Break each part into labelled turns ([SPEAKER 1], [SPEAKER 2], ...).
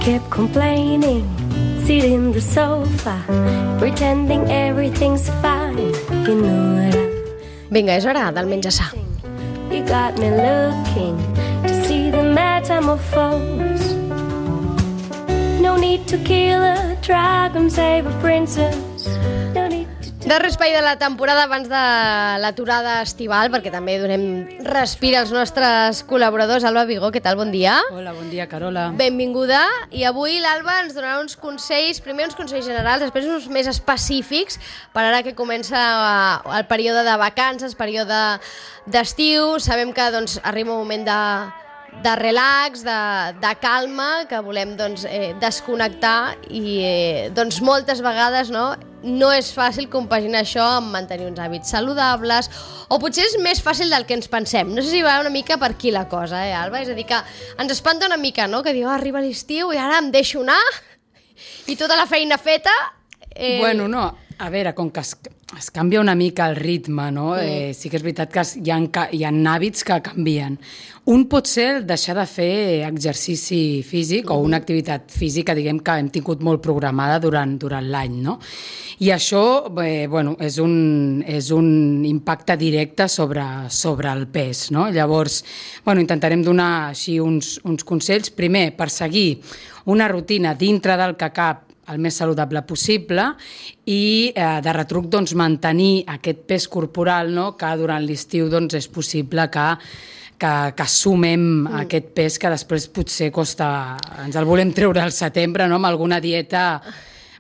[SPEAKER 1] kept complaining, sitting in the sofa, pretending everything's fine. You know what
[SPEAKER 2] Vinga, és hora del menjar-sa.
[SPEAKER 1] You got me looking to see the metamorphose. No need to kill a dragon, save a princess. No need to...
[SPEAKER 2] Darrer espai de la temporada abans de l'aturada estival, perquè també donem respir als nostres col·laboradors. Alba Vigó, què tal? Bon dia.
[SPEAKER 3] Hola, bon dia, Carola.
[SPEAKER 2] Benvinguda. I avui l'Alba ens donarà uns consells, primer uns consells generals, després uns més específics, per ara que comença el període de vacances, període d'estiu. Sabem que doncs, arriba un moment de relax, de calma, que volem doncs, desconnectar i doncs, moltes vegades no és fàcil compaginar això amb mantenir uns hàbits saludables, o potser és més fàcil del que ens pensem. No sé si va una mica per aquí la cosa, Alba? És a dir, que ens espanta una mica, no? Que diu, arriba l'estiu i ara em deixo anar i tota la feina feta...
[SPEAKER 3] Bueno, no, a veure, com que es canvia una mica el ritme, no? Sí que és veritat que hi ha hàbits que canvien. Un pot ser deixar de fer exercici físic o una activitat física, diguem, que hem tingut molt programada durant l'any, no? I això, bueno, és un impacte directe sobre el pes, no? Llavors, bueno, intentarem donar així uns consells. Primer, per seguir una rutina dintre del que cap el més saludable possible i de retruc doncs, mantenir aquest pes corporal, no? Que durant l'estiu doncs, és possible que sumem aquest pes que després potser costa... Ens el volem treure al setembre, no? Amb alguna dieta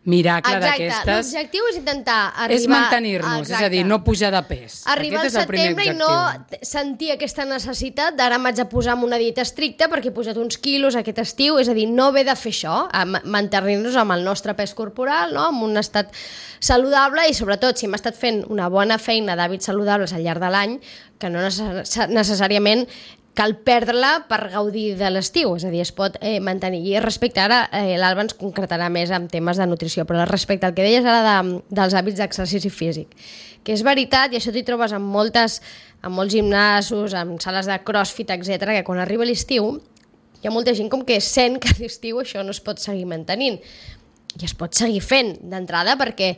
[SPEAKER 3] miracle d'aquestes.
[SPEAKER 2] Exacte, l'objectiu és intentar arribar...
[SPEAKER 3] És mantenir-nos, és a dir, no pujar de pes.
[SPEAKER 2] Arribar al setembre i no sentir aquesta necessitat d'ara m'haig de posar amb una dieta estricta perquè he posat uns quilos aquest estiu, és a dir, no haver de fer això, mantenir-nos amb el nostre pes corporal, no? Amb un estat saludable i sobretot si hem estat fent una bona feina d'hàbits saludables al llarg de l'any, que no necessàriament cal perdre-la per gaudir de l'estiu, és a dir, es pot mantenir. I respecte ara, l'Alba ens concretarà més en temes de nutrició, però respecte al que deies ara dels hàbits d'exercici físic, que és veritat, i això t'hi trobes en molts gimnasos, en sales de crossfit, etc., que quan arriba l'estiu hi ha molta gent com que sent que a l'estiu això no es pot seguir mantenint. I es pot seguir fent d'entrada perquè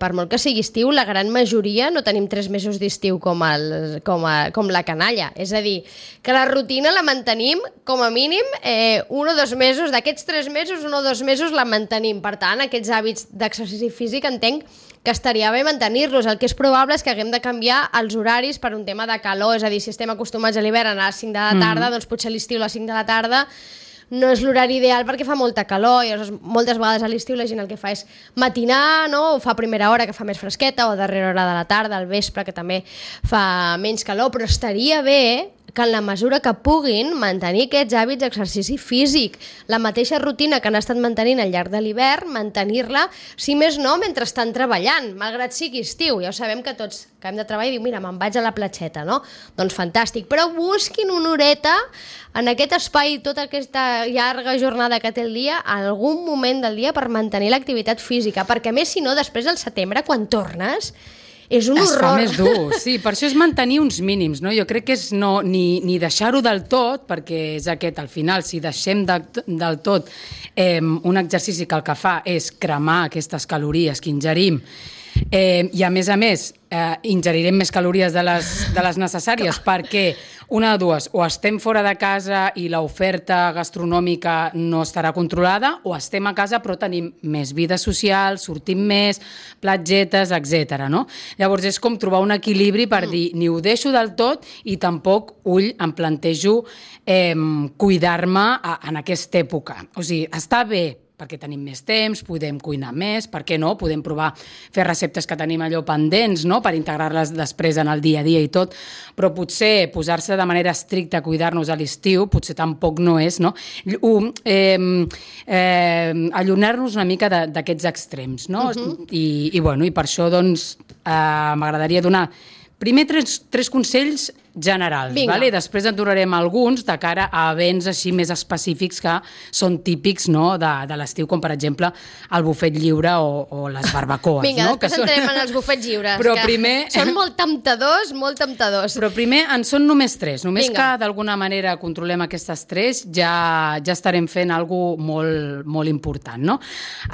[SPEAKER 2] per molt que sigui estiu, la gran majoria no tenim 3 mesos d'estiu com la canalla. És a dir, que la rutina la mantenim com a mínim 1 o 2 mesos. D'aquests 3 mesos, 1 o 2 mesos la mantenim. Per tant, aquests hàbits d'exercici físic entenc que estaria bé mantenir-los. El que és probable és que haguem de canviar els horaris per un tema de calor. És a dir, si estem acostumats a l'hivern a anar a les 5 de la tarda, doncs potser a l'estiu a les 5 de la tarda no és l'horari ideal perquè fa molta calor i moltes vegades a l'estiu la gent el que fa és matinar, no? O fa a primera hora que fa més fresqueta o a darrera hora de la tarda, al vespre que també fa menys calor, però estaria bé que en la mesura que puguin mantenir aquests hàbits d'exercici físic, la mateixa rutina que han estat mantenint al llarg de l'hivern, mantenir-la, si més no, mentre estan treballant, malgrat sigui estiu. Ja ho sabem que tots que hem de treballar i diu, mira, me'n vaig a la platgeta, no? Doncs fantàstic, però busquin una horeta en aquest espai, tota aquesta llarga jornada que té el dia, en algun moment del dia per mantenir l'activitat física, perquè a més, si no, després del setembre, quan tornes, és un horror.
[SPEAKER 3] Es fa més dur, sí, per això és mantenir uns mínims, no? Jo crec que és ni deixar-ho del tot, perquè és aquest, al final, si deixem del tot un exercici que el que fa és cremar aquestes calories que ingerim, i a més, ingerirem més calories de les necessàries perquè una de dues, o estem fora de casa i l'oferta gastronòmica no estarà controlada, o estem a casa però tenim més vida social, sortim més, platgetes, etc. No? Llavors és com trobar un equilibri per dir ni ho deixo del tot i tampoc em plantejo cuidar-me en aquesta època. O sigui, està bé perquè tenim més temps, podem cuinar més, per què no? Podem provar fer receptes que tenim allò pendents, no? Per integrar-les després en el dia a dia i tot, però potser posar-se de manera estricta a cuidar-nos a l'estiu potser tampoc no és, no? Allunyar-nos una mica d'aquests extrems, no? I per això doncs m'agradaria donar primer tres consells generals.
[SPEAKER 2] Vinga.
[SPEAKER 3] Vale? Després en donarem alguns de cara a events així més específics que són típics, no? de l'estiu, com per exemple el bufet lliure o les barbacoes.
[SPEAKER 2] Vinga,
[SPEAKER 3] no?
[SPEAKER 2] després entrem en els bufets lliures,
[SPEAKER 3] Però
[SPEAKER 2] que
[SPEAKER 3] primer...
[SPEAKER 2] són molt temptadors, molt temptadors.
[SPEAKER 3] Però primer en són només 3. Només
[SPEAKER 2] Vinga.
[SPEAKER 3] que d'alguna manera controlem aquestes 3 ja estarem fent alguna cosa molt, molt important. No?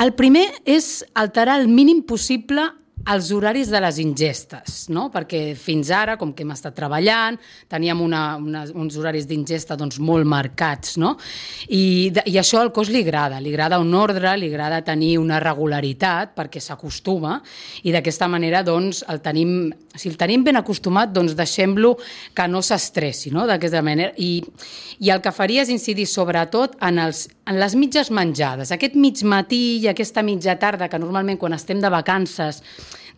[SPEAKER 3] El primer és alterar el mínim possible els horaris de les ingestes, no? Perquè fins ara, com que hem estat treballant, teníem uns horaris d'ingesta doncs, molt marcats, no? I això al cos li agrada un ordre, li agrada tenir una regularitat perquè s'acostuma i d'aquesta manera doncs, si el tenim ben acostumat, doncs deixem-lo que no s'estressi, no? D'aquesta manera. I el que faria és incidir sobretot en les mitges menjades. Aquest mig matí i aquesta mitja tarda, que normalment quan estem de vacances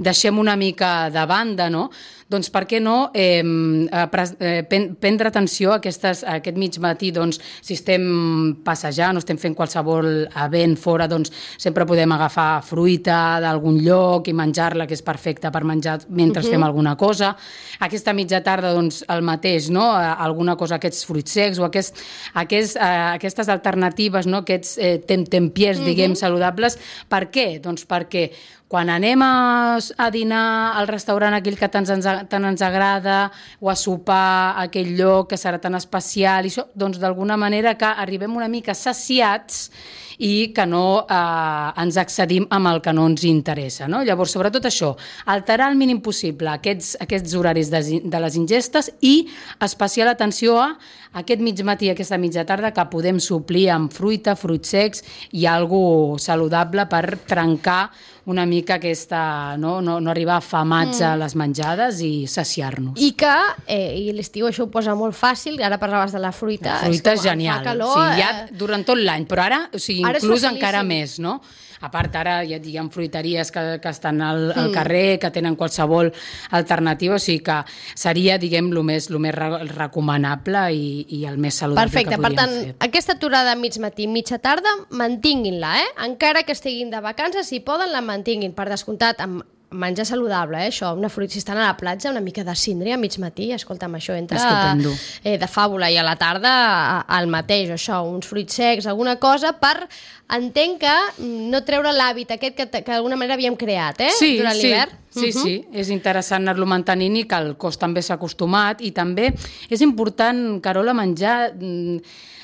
[SPEAKER 3] deixem una mica de banda, no? Doncs per què no prendre atenció a aquest mig matí, doncs, si estem passejant o estem fent qualsevol event fora, doncs sempre podem agafar fruita d'algun lloc i menjar-la, que és perfecta per menjar mentre fem alguna cosa. Aquesta mitja tarda, doncs, el mateix, no? Alguna cosa, aquests fruits secs o aquestes alternatives, no? Aquests tempiers, diguem, saludables. Per què? Doncs perquè quan anem a dinar al restaurant aquell que tant ens agrada o a sopar a aquell lloc que serà tan especial, i això, doncs d'alguna manera que arribem una mica saciats i que no ens excedim amb el que no ens interessa. No? Llavors, sobretot això, alterar el mínim possible aquests horaris de les ingestes i especial atenció a aquest mig matí i aquesta mitja tarda que podem suplir amb fruita, fruits secs i alguna saludable per trencar una mica aquesta, no arribar afamats a les menjades i saciar-nos.
[SPEAKER 2] I que, i l'estiu això ho posa molt fàcil, ara parlaves de la fruita.
[SPEAKER 3] La fruita és genial,
[SPEAKER 2] fa calor,
[SPEAKER 3] ja durant tot l'any, però ara,
[SPEAKER 2] ara
[SPEAKER 3] inclús encara més, no? A part, ara hi ha fruiteries que estan al carrer, que tenen qualsevol alternativa, o sigui que seria, diguem, el més recomanable i el més saludable que podríem fer.
[SPEAKER 2] Perfecte, per tant, aquesta aturada mig matí, mitja tarda, mantinguin-la, encara que estiguin de vacances, si poden, la mantinguin, per descomptat, amb menjar saludable, això, una fruita, si estan a la platja, una mica de síndria a mig matí, escolta'm, això entra de fàbula, i a la tarda al mateix, això, uns fruits secs, alguna cosa, entenc que no treure l'hàbit aquest que d'alguna manera havíem creat, durant l'hivern.
[SPEAKER 3] Sí, és interessant anar-lo mantenint i que el cos també s'ha acostumat, i també és important, Carola, menjar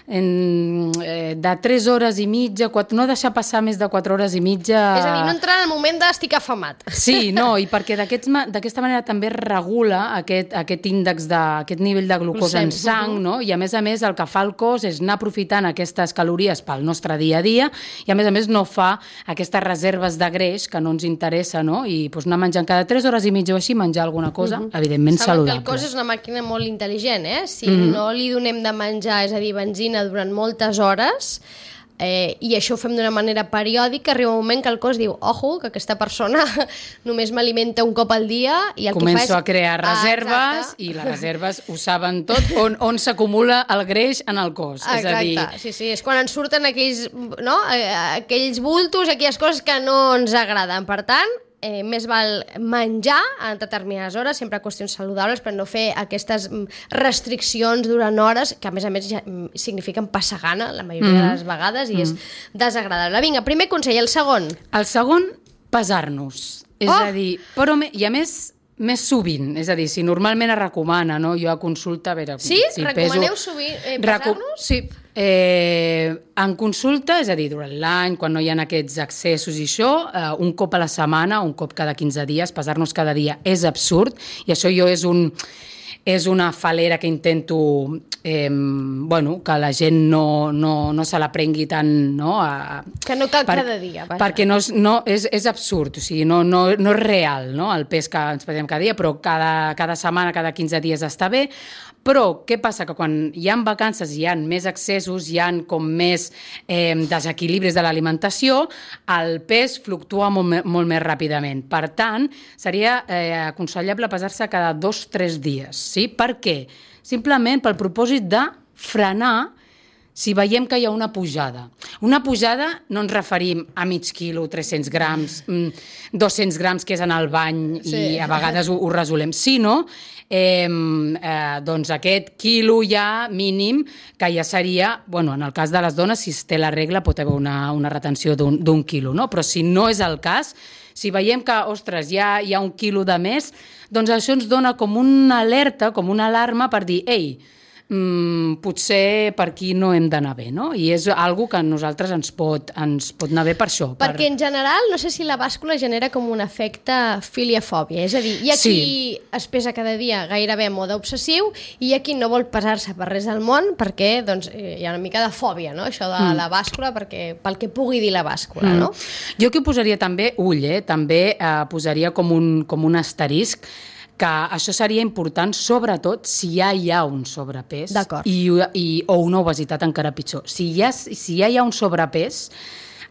[SPEAKER 3] de 3 hores i mitja, no deixar passar més de 4 hores i mitja...
[SPEAKER 2] És a dir, no entrar en el moment d'estic afamat.
[SPEAKER 3] Sí, no, i perquè d'aquesta manera també regula aquest índex, aquest nivell de glucosa en sang, no? I a més el que fa el cos és anar aprofitant aquestes calories pel nostre dia a dia i a més no fa aquestes reserves de greix que no ens interessa, no? I anar menjant cada 3 hores i mitja o així, menjar alguna cosa, evidentment saludable.
[SPEAKER 2] Saben que el cos és una màquina molt intel·ligent, Si no li donem de menjar, és a dir, benzina durant moltes hores, i això ho fem d'una manera periòdica, arriba un moment que el cos diu, ojo, que aquesta persona només m'alimenta un cop al dia, i el
[SPEAKER 3] començo
[SPEAKER 2] que fa és...
[SPEAKER 3] a crear reserves, i les reserves ho saben tot, on s'acumula el greix en el cos.
[SPEAKER 2] Exacte, sí, és quan ens surten aquells bultos, aquelles coses que no ens agraden. Per tant, més val menjar en determinades hores, sempre qüestions saludables, per no fer aquestes restriccions durant hores, que a més ja signifiquen passar gana la majoria de les vegades, i és desagradable. Vinga, primer consell, el segon.
[SPEAKER 3] El segon, pesar-nos. És a dir, però i a més sovint, és a dir, si normalment es recomana, no? Jo a consulta, a veure...
[SPEAKER 2] Sí? Recomaneu sovint pesar-nos?
[SPEAKER 3] Sí, en consulta, és a dir, durant l'any, quan no hi ha aquests accessos i això, un cop a la setmana, un cop cada 15 dies, pesar-nos cada dia és absurd, i això jo és una falera que intento que la gent no se la prengui tant, no?
[SPEAKER 2] Que no cal cada dia.
[SPEAKER 3] Perquè és absurd, o sigui, no és real, no? El pes que ens pesem cada dia, però cada setmana, cada 15 dies està bé. Però què passa? Que quan hi ha vacances hi ha més excessos, hi ha com més desequilibris de l'alimentació, el pes fluctua molt més ràpidament. Per tant, seria aconsellable pesar-se cada 2-3 dies. Sí? Per què? Simplement pel propòsit de frenar si veiem que hi ha una pujada no ens referim a mig quilo, 300 grams, 200 grams, que és en el bany, i a vegades ho resolem, sinó doncs aquest quilo ja mínim, que ja seria, en el cas de les dones, si es té la regla, pot haver una retenció d'un quilo, no? Però si no és el cas, si veiem que, ostres, ja hi ha un quilo de més, doncs això ens dona com una alerta, com una alarma per dir, ei, potser per aquí no hem d'anar bé, no? I és algo que a nosaltres ens pot anar bé per això.
[SPEAKER 2] Perquè en general, no sé si la bàscula genera com un efecte filiafòbia, és a dir, hi ha qui es pesa cada dia gairebé en mode obsessiu i hi ha qui no vol pesar-se per res del món perquè doncs, hi ha una mica de fòbia, no? Això de la bàscula, pel que pugui dir la bàscula, no?
[SPEAKER 3] Jo aquí posaria també, també posaria com un asterisc, que això seria important, sobretot, si ja hi ha un sobrepès o una obesitat encara pitjor. Si ja hi ha un sobrepès,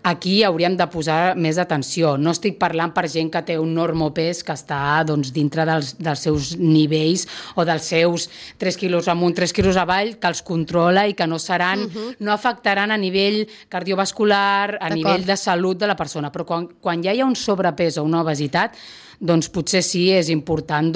[SPEAKER 3] aquí hauríem de posar més atenció. No estic parlant per gent que té un normopès que està dintre dels seus nivells o dels seus 3 quilos amunt, 3 quilos avall, que els controla i que no afectaran a nivell cardiovascular, a nivell de salut de la persona. Però quan ja hi ha un sobrepès o una obesitat, doncs potser sí, és important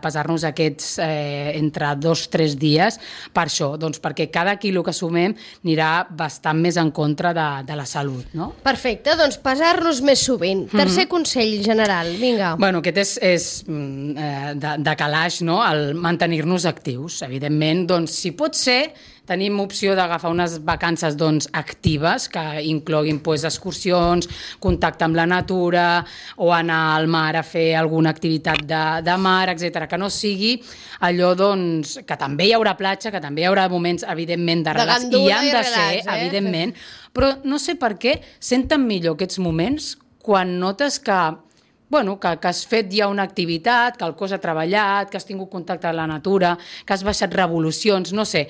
[SPEAKER 3] pesar-nos aquests entre 2-3 dies per això, perquè cada quilo que sumem anirà bastant més en contra de la salut, no?
[SPEAKER 2] Perfecte, doncs pesar-nos més sovint. Tercer consell general, vinga.
[SPEAKER 3] Aquest és de calaix, no?, el mantenir-nos actius. Evidentment, doncs, si pot ser, tenim opció d'agafar unes vacances actives que incloguin excursions, contacte amb la natura o anar al mar a fer alguna activitat de mar, etc. Que no sigui allò que també hi haurà platja, que també hi haurà moments, evidentment, de relax, i han de ser, evidentment, però no sé per què senten millor aquests moments quan notes que has fet ja una activitat, que el cos ha treballat, que has tingut contacte amb la natura, que has baixat revolucions, no sé.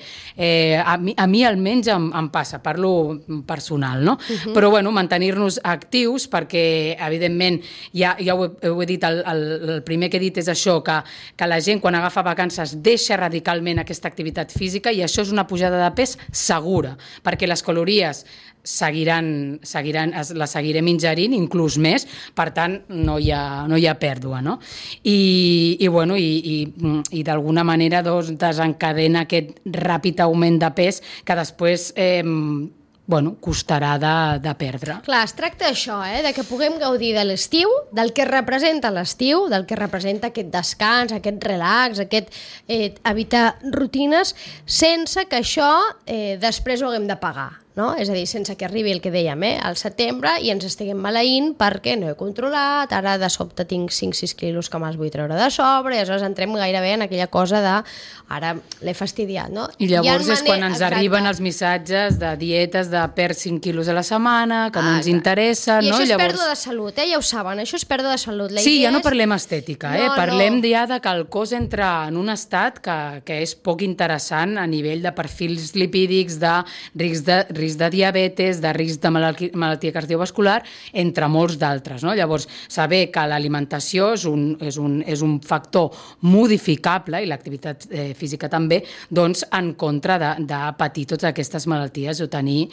[SPEAKER 3] A mi almenys em passa, parlo personal, no? Però mantenir-nos actius perquè, evidentment, ja ho he dit, el primer que he dit és això, que la gent quan agafa vacances deixa radicalment aquesta activitat física i això és una pujada de pes segura, perquè les calories les seguirem ingerint, inclús més, per tant, no hi ha pèrdua, no? I d'alguna manera desencadena aquest ràpid augment de pes que després costarà de perdre.
[SPEAKER 2] Clar, es tracta d'això, de que puguem gaudir de l'estiu, del que representa l'estiu, del que representa aquest descans, aquest relax, aquest evitar rutines, sense que això després ho haguem de pagar. No? És a dir, sense que arribi el que dèiem, al setembre, i ens estiguem maleint perquè no he controlat, ara de sobte tinc 5-6 quilos que me'ls vull treure de sobre, i aleshores entrem gairebé en aquella cosa de ara l'he fastidiat, no?
[SPEAKER 3] I llavors és quan ens arriben els missatges de dietes de perd 5 quilos a la setmana, que no ens interessa,
[SPEAKER 2] no? I això
[SPEAKER 3] és
[SPEAKER 2] pèrdua de salut, ja ho saben, això és pèrdua de salut.
[SPEAKER 3] Sí, ja no parlem estètica, parlem ja de que el cos entra en un estat que és poc interessant a nivell de perfils lipídics, de risc de diabetes, de risc de malaltia cardiovascular, entre molts d'altres, no? Llavors, saber que l'alimentació és un factor modificable, i l'activitat física també, doncs en contra de patir totes aquestes malalties o tenir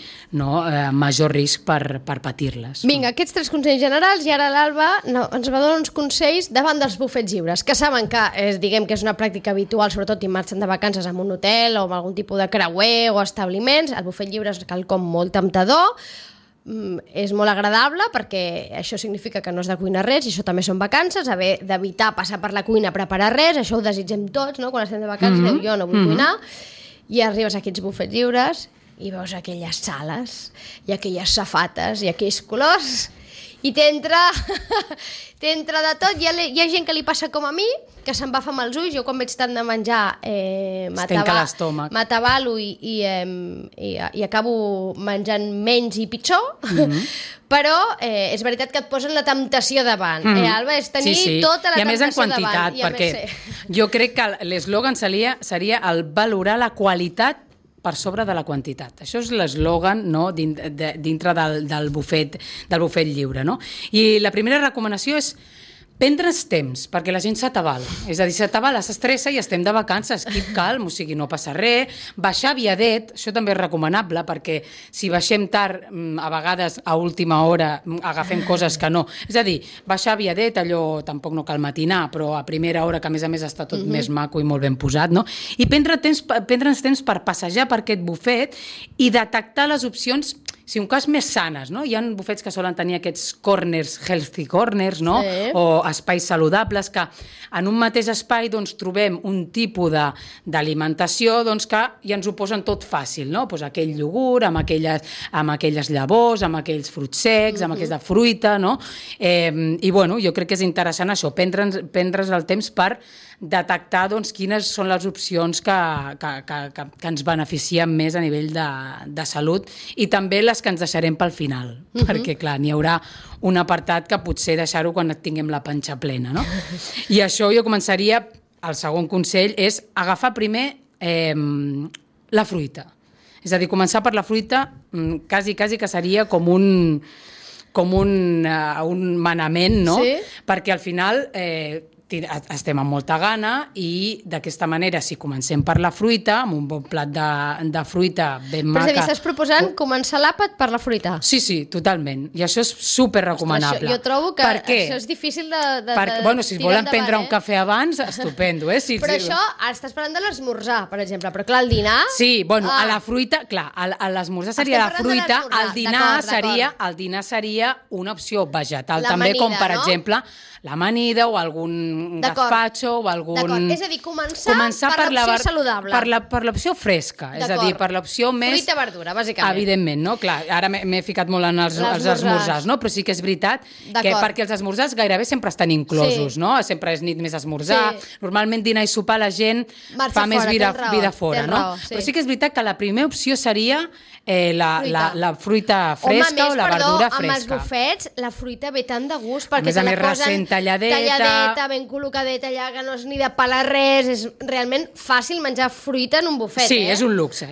[SPEAKER 3] major risc per patir-les.
[SPEAKER 2] Vinga, aquests 3 consells generals, i ara l'Alba ens va donar uns consells davant dels bufets lliures, que saben que diguem que és una pràctica habitual, sobretot si marxen de vacances en un hotel o en algun tipus de creuer o establiments. El bufet lliure és quelcom molt temptador, és molt agradable perquè això significa que no has de cuinar res, i això també són vacances, haver d'evitar passar per la cuina a preparar res, això ho desitgem tots, no? Quan estem de vacances, jo no vull cuinar, i arribes a aquests bufets lliures i veus aquelles sales i aquelles safates i aquells colors i t'entra de tot. Hi ha gent que li passa com a mi, que se'n va fam els ulls. Jo quan veig tant de menjar m'atabalo i acabo menjant menys i pitjor, però és veritat que et posen la temptació davant. Alba, és tenir tota la temptació davant.
[SPEAKER 3] I a més en quantitat, perquè jo crec que l'eslògan seria el valorar la qualitat per sobre de la quantitat. Això és l'eslògan, no?, dintre del bufet lliure, no? I la primera recomanació és Prendre's temps, perquè la gent s'atabala. És a dir, s'atabala, s'estressa i estem de vacances, keep calm, o sigui, no passa res. Baixar aviadet, això també és recomanable, perquè si baixem tard, a vegades a última hora agafem coses que no. És a dir, baixar aviadet, allò tampoc no cal matinar, però a primera hora, que a més està tot més maco i molt ben posat, no? I prendre'ns temps per passejar per aquest bufet i detectar les opcions, si un cas més sanes, no? Hi ha bufets que solen tenir aquests corners, healthy corners, no?
[SPEAKER 2] Sí.
[SPEAKER 3] O espais saludables, que en un mateix espai doncs, trobem un tipus d'alimentació doncs, que ja ens ho posen tot fàcil, no? Pues aquell iogurt, amb aquelles llavors, amb aquells fruits secs, amb aquells de fruita, no? I bueno, jo crec que és interessant això, prendre's el temps per detectar doncs, quines són les opcions que ens beneficien més a nivell de salut i també les que ens deixarem pel final, perquè clar, n'hi haurà un apartat que potser deixar-ho quan tinguem la panxa plena, no? I això jo començaria, el segon consell és agafar primer la fruita. És a dir, començar per la fruita quasi que seria com un manament, no? Sí. Perquè al final estem amb molta gana i d'aquesta manera, si comencem per la fruita, amb un bon plat de fruita ben maca...
[SPEAKER 2] Però és a dir, estàs proposant començar l'àpat per la fruita?
[SPEAKER 3] Sí, totalment. I això és super recomanable.
[SPEAKER 2] Jo trobo que això és difícil de
[SPEAKER 3] bueno, si volen prendre un cafè abans, estupendo, Sí,
[SPEAKER 2] però això, estàs parlant de l'esmorzar, per exemple, però clar, el dinar...
[SPEAKER 3] Sí, bueno, a la fruita, clar, a l'esmorzar seria la fruita, el dinar seria una opció vegetal, també com per exemple l'amanida o algun gazpacho o algun...
[SPEAKER 2] D'acord, és a dir, començar per l'opció saludable.
[SPEAKER 3] Per l'opció fresca, és a dir, per l'opció més...
[SPEAKER 2] Fruita, verdura, bàsicament.
[SPEAKER 3] Evidentment, no? Clar, ara m'he ficat molt en els esmorzars, no? Però sí que és veritat que perquè els esmorzars gairebé sempre estan inclosos, no? Sempre és nit més esmorzar. Normalment dinar i sopar la gent fa més vida fora, no? Però sí que és veritat que la primera opció seria la fruita fresca o la verdura fresca.
[SPEAKER 2] Amb els bufets la fruita ve tant de gust perquè
[SPEAKER 3] te la posen
[SPEAKER 2] talladeta, ben col·locadeta allà, que no és ni de pelar res, és realment fàcil menjar fruita en un bufet.
[SPEAKER 3] Sí, és un luxe.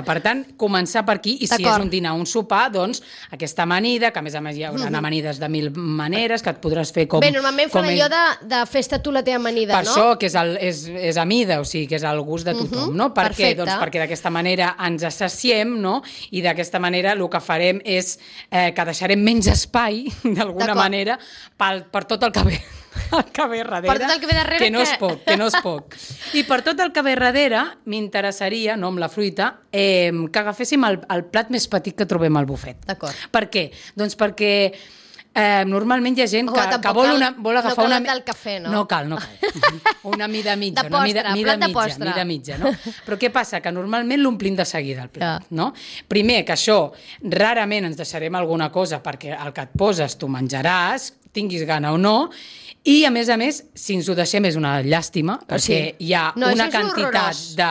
[SPEAKER 3] Per tant, començar per aquí, i si és un dinar o un sopar, doncs aquesta amanida, que a més hi haurà amanides de 1000 maneres, que et podràs fer com...
[SPEAKER 2] Bé, normalment fan allò de fes-te tu la teva amanida,
[SPEAKER 3] no? Per això, que és amida, o sigui, que és al gust de tothom, no? Per què? Doncs perquè d'aquesta manera ens assaciem, no? I d'aquesta manera el que farem és que deixarem menys espai, d'alguna manera, per tot el que ve darrere.
[SPEAKER 2] Per tot el que ve darrere.
[SPEAKER 3] Que no és poc. I per tot el que ve darrere, m'interessaria, no amb la fruita, que agaféssim el plat més petit que trobem al bufet.
[SPEAKER 2] D'acord.
[SPEAKER 3] Per què? Doncs perquè... normalment hi ha gent que vol agafar una...
[SPEAKER 2] No cal el cafè, no?
[SPEAKER 3] No cal. Una mida mitja. Mida mitja, no? Però què passa? Que normalment l'omplim de seguida, el plat, no? Primer, que això, rarament ens deixarem alguna cosa perquè el que et poses tu menjaràs, tinguis gana o no, i a més, si ens ho deixem és una llàstima, perquè hi ha una quantitat de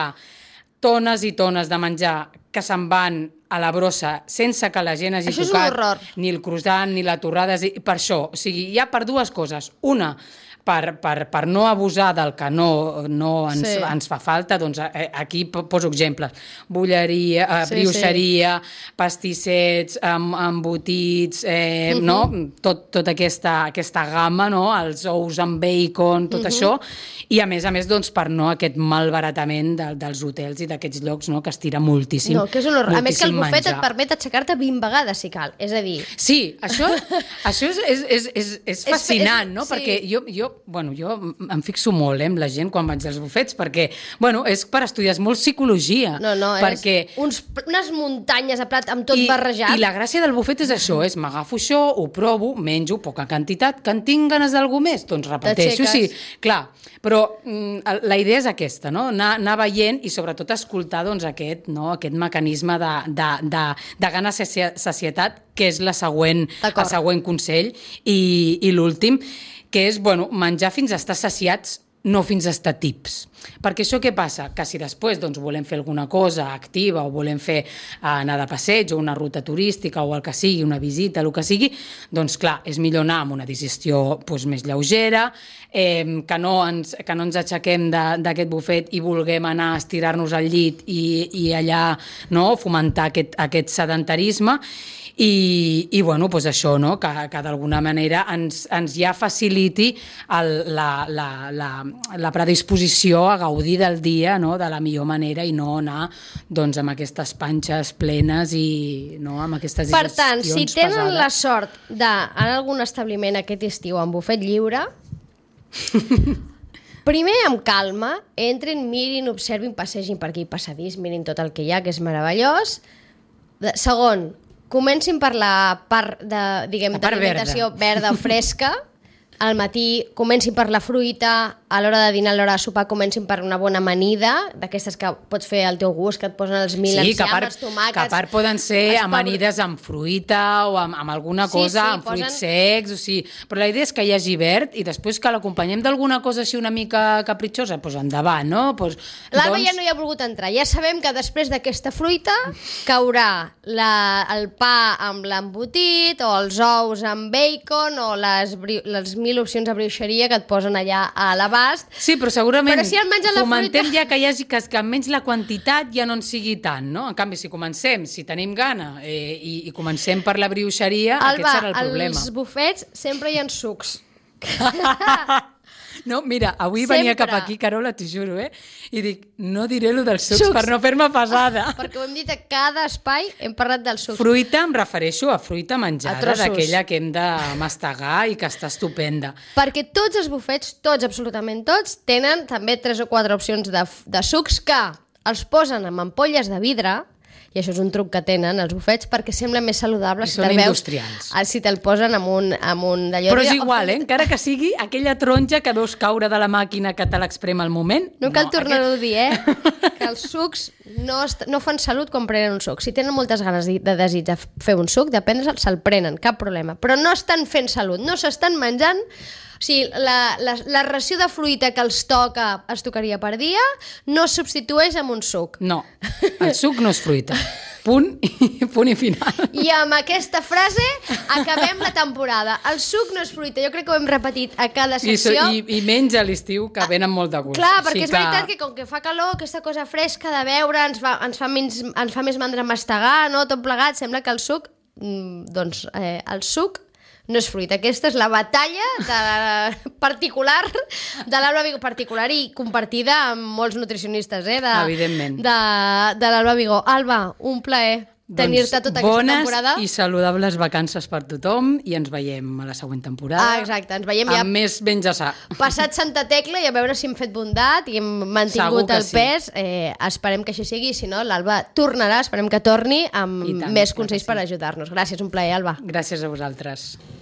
[SPEAKER 3] tones i tones de menjar que se'n van a la brossa sense que la gent hagi tocat ni el croissant ni la torrada. Per això, o sigui, hi ha per dues coses. Una, per no abusar del que no ens fa falta, doncs aquí poso exemples. Bulleria, brioixeria, pastissets, embotits, no? Tota aquesta gamma, no? Els ous amb bacon, tot això, i a més, doncs, per no aquest malbaratament dels hotels i d'aquests llocs, no? Que es tira moltíssim.
[SPEAKER 2] No, que és un horror. A més que el bufet et permet aixecar-te 20 vegades, si cal. És a dir...
[SPEAKER 3] Sí, això és fascinant, no? Perquè jo em fixo molt amb la gent quan vaig als bufets, perquè, és per estudiar molt psicologia.
[SPEAKER 2] No,
[SPEAKER 3] perquè...
[SPEAKER 2] és unes muntanyes de plat amb tot barrejat.
[SPEAKER 3] I la gràcia del bufet és això, és m'agafo això, ho provo, menjo poca quantitat, que en tinc ganes d'algú més, doncs repeteixo, sí, clar. Però la idea és aquesta, no? Anar veient i sobretot escoltar doncs, aquest mecanisme de gana sacietat, que és el següent consell, i l'últim, que és menjar fins a estar saciats, no fins a estar tips. Perquè això què passa? Que si després volem fer alguna cosa activa o volem fer anar de passeig o una ruta turística o el que sigui, una visita, el que sigui, doncs clar, és millor anar amb una digestió més lleugera, que no ens aixequem d'aquest bufet i vulguem anar a estirar-nos al llit i allà fomentar aquest sedentarisme. i bueno, doncs això, no? Que d'alguna manera ens ja faciliti la predisposició a gaudir del dia, no? De la millor manera i no anar doncs, amb aquestes panxes plenes i no? Amb aquestes digestions pesades.
[SPEAKER 2] Per tant, si tenen la sort d'anar a algun establiment aquest estiu amb bufet lliure, primer, amb calma, entrin, mirin, observin, passegin per aquí passadís, mirin tot el que hi ha, que és meravellós. Segon, comencin per la part d'alimentació verda o fresca. Al matí comencin per la fruita, a l'hora de dinar, a l'hora de sopar comencin per una bona amanida, d'aquestes que pots fer al teu gust, que et posen els enciam, els tomàquets...
[SPEAKER 3] Que a part poden ser amanides amb fruita o amb alguna cosa, amb fruits secs, o sigui, però la idea és que hi hagi verd i després que l'acompanyem d'alguna cosa així una mica capritxosa, doncs endavant, no?
[SPEAKER 2] L'Alba ja no hi ha volgut entrar, ja sabem que després d'aquesta fruita caurà el pa amb l'embotit o els ous amb bacon o les 1000 opcions de brioixeria que et posen allà a l'abast.
[SPEAKER 3] Sí, però segurament
[SPEAKER 2] si
[SPEAKER 3] fomentem ja que hi hagi que almenys la quantitat ja no en sigui tant, no? En canvi, si tenim gana i comencem per la brioixeria, aquest serà el problema.
[SPEAKER 2] Als bufets sempre hi ha sucs.
[SPEAKER 3] No, mira, avui venia cap aquí, Carola, t'ho juro, i dic, no diré lo dels sucs per no fer-me pesada.
[SPEAKER 2] Perquè ho hem dit a cada espai, hem parlat dels sucs.
[SPEAKER 3] Fruita, em refereixo a fruita menjada, d'aquella que hem de mastegar i que està estupenda.
[SPEAKER 2] Perquè tots els bufets, tots, absolutament tots, tenen també 3 o 4 opcions de sucs que els posen en ampolles de vidre, i això és un truc que tenen els bufets perquè sembla més saludable si te'l veus si te'l posen amb un d'allò.
[SPEAKER 3] Però és igual, encara que sigui aquella taronja que veus caure de la màquina que te l'exprem al moment.
[SPEAKER 2] No cal tornar-ho a dir, que els sucs no fan salut quan prenen un suc. Si tenen moltes ganes de desig de fer un suc, de prendre'l, se'l prenen, cap problema. Però no estan fent salut, no s'estan menjant. O sigui, la ració de fruita que els tocaria per dia no es substitueix amb un suc.
[SPEAKER 3] No, el suc no és fruita. Punt i final.
[SPEAKER 2] I amb aquesta frase acabem la temporada. El suc no és fruita. Jo crec que ho hem repetit a cada secció.
[SPEAKER 3] I menys a l'estiu, que venen molt de gust.
[SPEAKER 2] Clar, perquè és veritat que com que fa calor, aquesta cosa fresca de beure ens fa més mandra mastegar, no? Tot plegat, sembla que el suc, el suc no és fruita. Aquesta és la batalla particular de l'Alba Vigó, particular i compartida amb molts nutricionistes,
[SPEAKER 3] evidentment.
[SPEAKER 2] De l'Alba Vigó. Alba, un plaer tenir-te tota aquesta temporada.
[SPEAKER 3] Bones i saludables vacances per tothom i ens veiem a la següent temporada.
[SPEAKER 2] Exacte, ens veiem ja
[SPEAKER 3] amb més menjar sa.
[SPEAKER 2] Passat Santa Tecla i a veure si hem fet bondat i hem mantingut el pes. Esperem que així sigui, si no l'Alba tornarà, esperem que torni amb més consells per ajudar-nos. Gràcies, un plaer, Alba.
[SPEAKER 3] Gràcies a vosaltres.